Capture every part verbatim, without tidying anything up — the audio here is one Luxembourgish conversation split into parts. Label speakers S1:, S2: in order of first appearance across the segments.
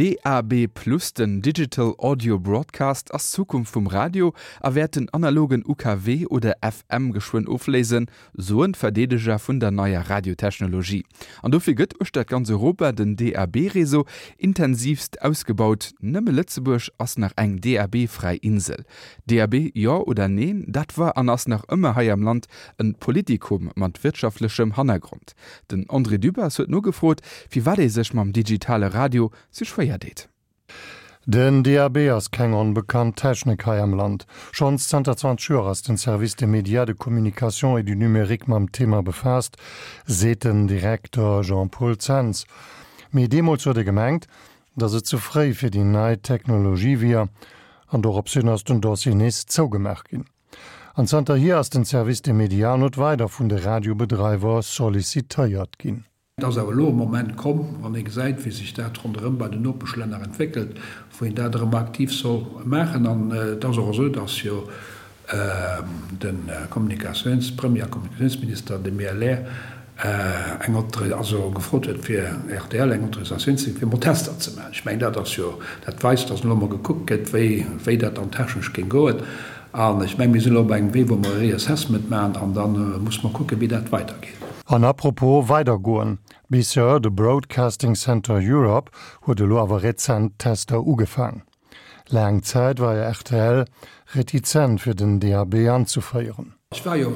S1: D A B Plus, den Digital Audio Broadcast, ass d'Zukunft vum Radio a wäert den analogen U K W oder F M geschwënn ofléisen, soen d'Verdeedeger vun der neier Radiotechnologie. An dofir gëtt uechter ganz Europa den D A B-Réseau intensivst ausgebaut. Nëmme Lëtzebuerg ass nach eng D A B-fräi Insel. D A B jo oder neen, dat war an ass nach ëmmer hei am Land e Politikum mat wirtschaftlechem Hannergrond. Den André Dübbers huet nogefrot, firwat ee sech mam digitale Radio sou schwéier deet.
S2: Den D A B ass keng onbekannt Technik hei am Land. Schonns zanter zwanzeg Joer ass den Service des médias de communication et du numérique mam Thema befaasst, seet den Direkter Jean-Paul Zens. Mee deemools huet ee gemengt, dass et ze fréi fir déi nei Technologie wier, an doropshin ass den Dossier nees zougemaach ginn. An zanterhier ass den Service des médias net weider vun de Radiobedreiwer sollicitéiert ginn.
S3: Et ass awer elo e Moment komm, wann ee gesäit, wéi sech dat ronderëm bei den Nopeschlänner entwéckelt, wou een dat erëm aktiv soll maachen. An et ass och esou, dass jo de Kommunikatiouns-, Premier a Kommunikatiounsminister, de M L R, eng Autori-, also gefrot huet, fir R T L eng Autorisatioun ze ginn, fir emol Tester ze maachen. Ech mengen, dat ass jo, dat weist, dass elo emol gekuckt gëtt, wéi, wéi dat dann technesch géing goen. An ech mengen, mir sinn elo op engem Wee, wou mer e Reassessment maachen, an da muss mer kucken, wéi dat weidergeet.
S2: An apropos weidergoen, B C E, de Broadcasting Center Europe, huet elo awer rezent Tester ugefaangen. Laang Zäit war jo R T L retizent fir den D A B anzeféieren.
S3: Ech war jo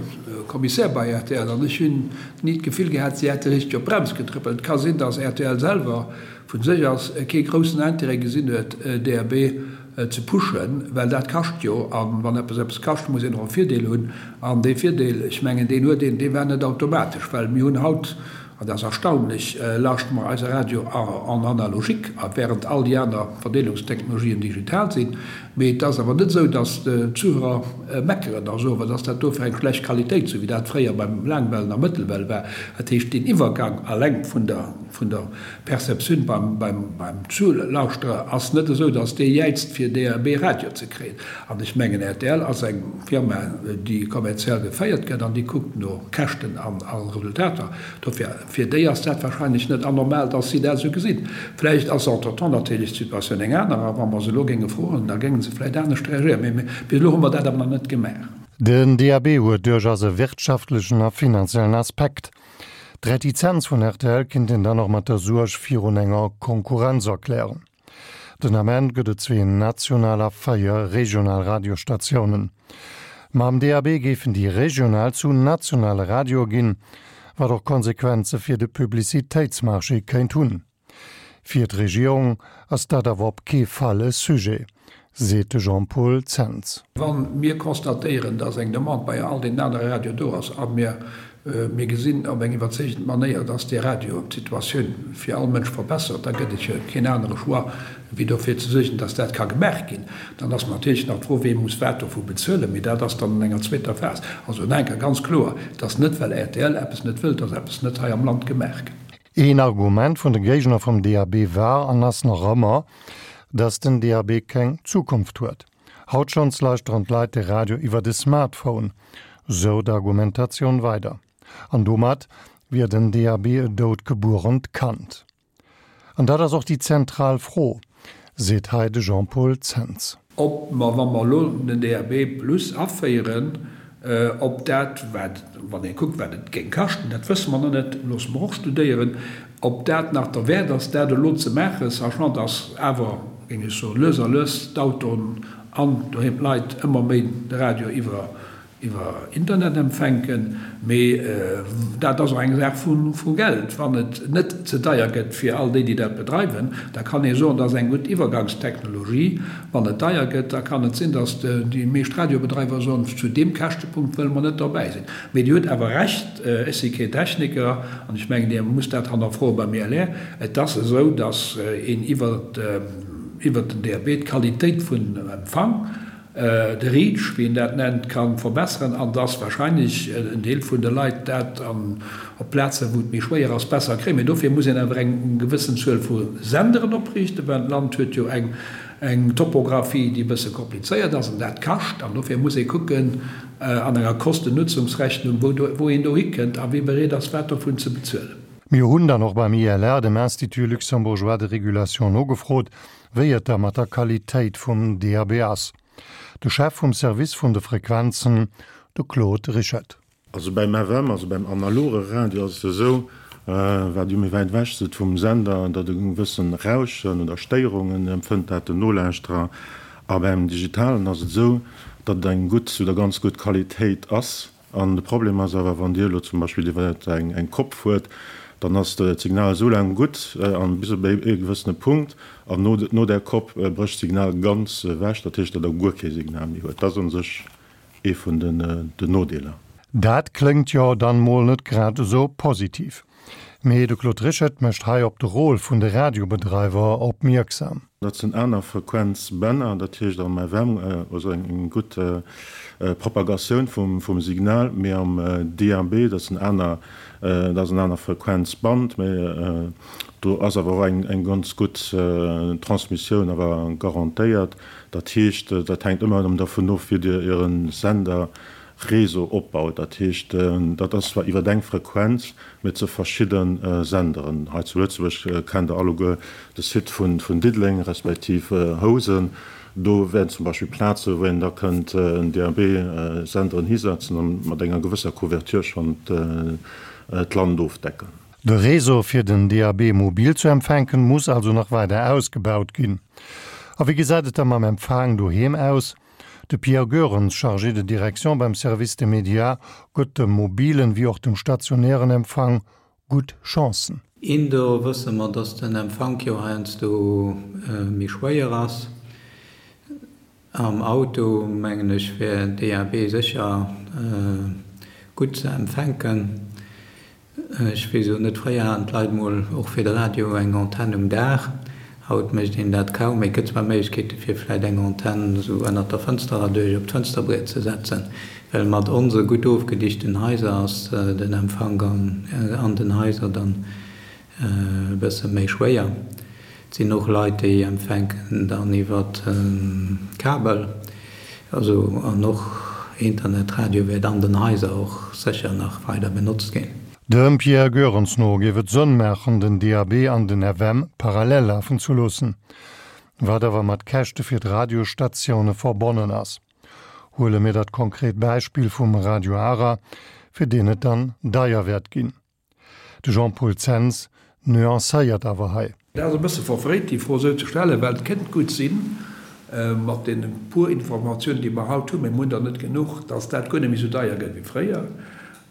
S3: Kommissär bei R T L an ech hunn ni d'Gefill gehat, si hätte richteg op d'Brems getrëppelt. Et ka sinn, datt R T L selwer vu sech aus kee groussen Interêt gesinn huet, D A B ze pushen, well dat kascht jo, a wann eppes eppes kascht, muss een och e Virdeel hunn. An dee Virdeel, ech mengen, deen huet een, dee war net automatesch, well mir hunn haut, an dat ass erstaunlech, lauschte mer eise Radio en analogique, während all déi aner Verdeelungstechnologien digital sinn. Mee et ass awer net esou, datt d'Zuhörer meckeren a soen, wat ass dat do fir eng schlecht Qualitéit, sou wéi dat fréier beim Laangwellen a Mëttelwell war. Dat heescht, deen Iwwergang alleng vun der vun der Perceptioun beim beim beim Zulauschterer ass net esou, datt dee jäizt fir D A B-Radio ze kréien. An ech mengen, R T L ass eng Firma, déi kommerziell geféiert gëtt an déi kuckt no Käschten an a Resultater. Dofir, fir déi ass dat wahrscheinlech net anormal, datt si dat esou gesinn. Vläicht ass entretemps natierlech d'Situatioun eng aner a wa mer se elo géinge froen, da géinge se vläicht anescht reagéieren. Mee bis elo hu mer dat awer nach net gemaach.
S2: Den D A B huet duerchaus e wirtschaftlechen a finanziellen Aspekt. D'Retizenz vun R T L kinnt een dann och mat der Suerg virun enger Konkurrenz erklären. Den Ament gëtt et zwee national a véier regional Radiostatiounen. Mam D A B géifen déi regional zu nationale Radioe ginn, wat och Konsequenze fir de Publicitéitsmarché kéint hunn. Fir d'Regierung ass dat awer op kee Fall e Sujet, seet de Jean-Paul Zens.
S3: Wa mir constatéieren, dass eng Demande bei all deenen anere Radioen do ass a mir mir gesinn op eng iwwerzeegend Manéier, dass dee Radio d'Situatioun fir all Mënsch verbessert, da gëtt et jo keen anere Choix, wéi dofir ze suergen, dass dat ka gemaach ginn. Dann ass natierlech nach d'Fro, wee muss wat dovu bezuelen, mee dat ass dann an enger zweeter Phas. Also nach eng Kéier ganz kloer, Et ass net, well R T L eppes net wëllt, dass eppes net hei am Land gemaach gëtt.
S2: Een Argument vun de Géigner vum D A B war an ass nach ëmmer, dass den D A B keng Zukunft huet. Haut schonns lauschteren d'Leit de Radio iwwer de Smartphone, sou d'Argumentatioun weider. An domat wier den D A B e doutgebuerent Kand. An dat ass och déi zentral Fro, seet hei de Jean-Paul Zens.
S3: Ob mer, wa mer elo den D A B plus aféieren, ob dat, wat, wann ee kuckt, wat et géing kaschten, dat wësse mer nach net, loosse mer och studéieren, ob dat nach derwäert ass, dat elo ze maachen, sachant dass awer, géing ech soen, lues a lues d'Autoen an doheem d'Leit ëmmer méi de Radio iwwer iwwer Internet empfänken. Mee dat ass och eng Saach vu Geld. Wann et net ze deier gëtt fir all déi, déi dat bedreiwen, da kann ee soen, dat ass eng gutt Iwwergangstechnologie. Wann et deier gëtt, da kann et sinn, datt déi meescht Radiobedreiwer soen, zu deem Käschtepunkt wëlle mer net derbäi sinn. Mee Dir hutt awer Recht, ech si keen Techniker an ech mengen, Dir musst dat hannerfroe beim I L R, et ass esou, datt een iwwer den D A B d'Qualitéit vun Empfang, de Reach, wéi een dat nennt, ka verbesseren an dass wahrscheinlech en Deel vun de Leit dat an op Plazen, wou et méi schwéier ass, besser kréien. Mee dofir muss een awer eng gewëssen Zuel vu Senderen opriichten, well d'Land huet jo eng eng Topographie, déi e bësse komplizéiert ass an dat kascht. An dofir muss ee kucken an enger Kosten-Nutzungsrechnung, wou do wou een dohikënnt a wie bereet ass, wat dovun ze bezuelen.
S2: Mir hunn dann och beim I L R, dem Institut luxembourgeois de régulation, nogefrot, wéi et da mat der Qualitéit vum D A B ass. De Chef vum Service vun de Frequenzen, de Claude Rischet.
S4: Also beim F M, also beim analoge Radio ass et esou, wat Dir méi wäit ewech sidd vum Sender, datt e gewëssen Rauschen oder Stéierungen empfënnt dat den Nolauschterer. A beim digitalen ass et esou, datt et eng gutt oder ganz gutt Qualitéit ass. An de Problem ass awer, wann Dir elo zum Beispill iwwer eng Kopp fuert, dann ass d'Signal esou laang gutt an bis op e gewëssene Punkt, an no där Kopp brécht d'Signal ganz ewech, dat heescht, datt Der guer kee Signal méi huet. Dat ass u sech ee vun den Nodeeler.
S2: Dat kléngt jo dann mol net grad esou positiv. Mee de Claude Rischet mécht hei op de Rôle vun de Radiobedreiwer opmierksam.
S4: Dat sinn aner Frequenzbänner, dat heescht am F M also eng gutt Propagatioun vum Signal, mee am D A B, dat sinn aner, dat ass en aner Frequenzband, mee do ass awer och eng ganz gutt Transmissioun awer garantéiert. Dat heescht, dat hänkt ëmmer erëm dervun of, wéi Dir Äre Senderreseau opbaut. Dat heescht, dat ass zwar iwwer eng Frequenz, mee zu verschidde Senderen. Hei zu Lëtzebuerg kennt Der alleguer de Site vun Diddeleng respektiv Housen. Do wären zum Beispill Plaze wou een da kënnt en D A B-Senderen hisetzen an mat enger gewësser Couverture schonn d'Land ofdecken.
S2: De Réseau fir den D A B mobil zu empfänken muss also nach weider ausgebaut ginn. A wéi gesäit et da mam Empfang doheem aus? De Pierre Goerens, chargé de direction beim Service des médias, gëtt dem mobilen wéi och dem stationären Empfang gutt Chancen.
S5: Indoor wësse mer, dass den Empfank jo heiansdo méi schwéier ass. Am Auto mengen ech wär D A B sécher gutt ze empfänken. Ech weess elo net, fréier haten d'Leit mol och fir de Radio eng Antenn um Daach. Haut mécht een dat kaum méi. Et gëtt zwar Méiglechkeete fir vläicht eng Antenn esou ënnert der Fënster erduerch op d'Fënsterbriet ze setzen, well mat onse gutt ofgedichten Haiser ass den Empfank an den Haiser dann e bësse méi schwéier. Et sinn och Leit, déi empfänken dann iwwer Kabel, also an och Internetradio wäert an den Haiser och sécher nach weider benotzt ginn.
S2: Dem Pierre Goerens no géif et Sënn maachen, den D A B an den F M parallel lafen ze loossen, wat awer mat Käschte fir d'Radiosstatioune verbonnen ass. Huele mir dat konkret Beispill vum Radio Ara, fir deen et dann deier wäert ginn. De Jean-Paul Zens nuancéiert awer hei.
S3: Dat ass e bësse verfréit, déi Fro esou ze stellen, well et kënnt gutt sinn, mat deene puer Informatiounen, déi mer haut hunn, mä mir hunn der net genuch, dass dat guer net méi esou deier gëtt wéi fréier.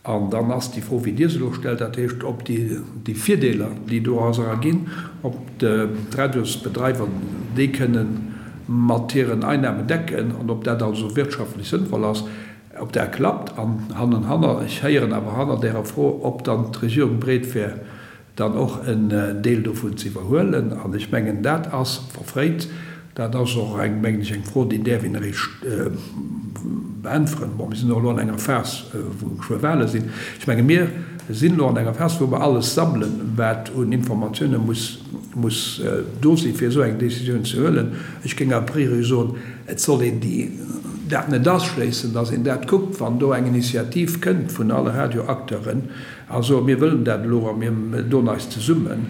S3: An dann ass déi Fro, wéi Dir se elo stellt, dat heescht, ob déi, déi Virdeeler, déi doraus erginn, ob d'Radiosbedreiwer déi kënnen mat hiren Einnahmen decken an ob dat also wirtschaftlech sënnvoll ass, ob dat klappt. An hannenhanner, ech héieren awer hanner därer Fro, ob dann d'Regierung bereet wär, dann och en Deel dovun ze iwwerhuelen. An ech mengen, dat ass verfréit. Dat ass och eng, mengen ech, eng Fro, déi däerf een eréischt beäntweren. Bon, mir sinn och elo an enger Phas, wou geschwë Wahle sinn. Ech menge mir sinn elo an enger Phas, wou mer alles sammelen, wat un Informatioune muss, muss do sinn, fir esou eng Décisioun ze huelen. Ech géing a priori soen, et soll een déi, dat net ausschléissen, dass een dat kuckt, wann do eng Initiativ kënnt vun alle Radioacteuren a soen, mir wëllen dat elo a mir doen eis zesummen,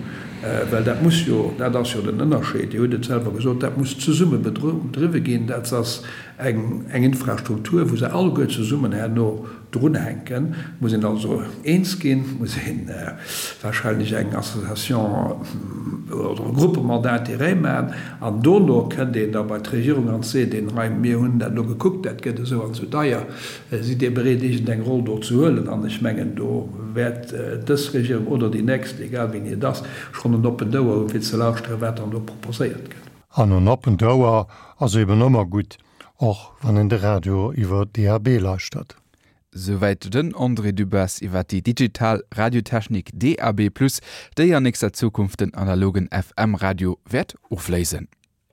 S3: well dat muss jo, dat ass jo den Ënnerscheed, Dir hutt et selwer gesot, dat muss zesumme bedriwwe ginn, dat ass eng Infrastruktur, wou se alleguer zesummen herno drunhänken. Muss een also eens ginn, muss ee wahrscheinlech eng Association oder e Groupement d'intérêt maachen an dono kënnt een da bei d'Regierung an seet een, hei, mir hunn dat elo gekuckt, dat gëtt esou an esou deier, sidd Dir bereet iergendeng Roll do ze huelen? An ech mengen, do wäert dës Regierung oder déi nächst, egal wéini et ass, schonn en oppent Ouer hunn, fir ze lauschteren, wat dann do proposéiert gëtt.
S2: An en oppent Ouer ass eben ëmmer gutt, och wann een de Radio iwwer D A B lauschtert.
S1: Souwäit den André Dübbers iwwer déi digital Radiotechnik D A B plus, déi an nächster Zukunft den analogen F M-Radio wäert ofléisen.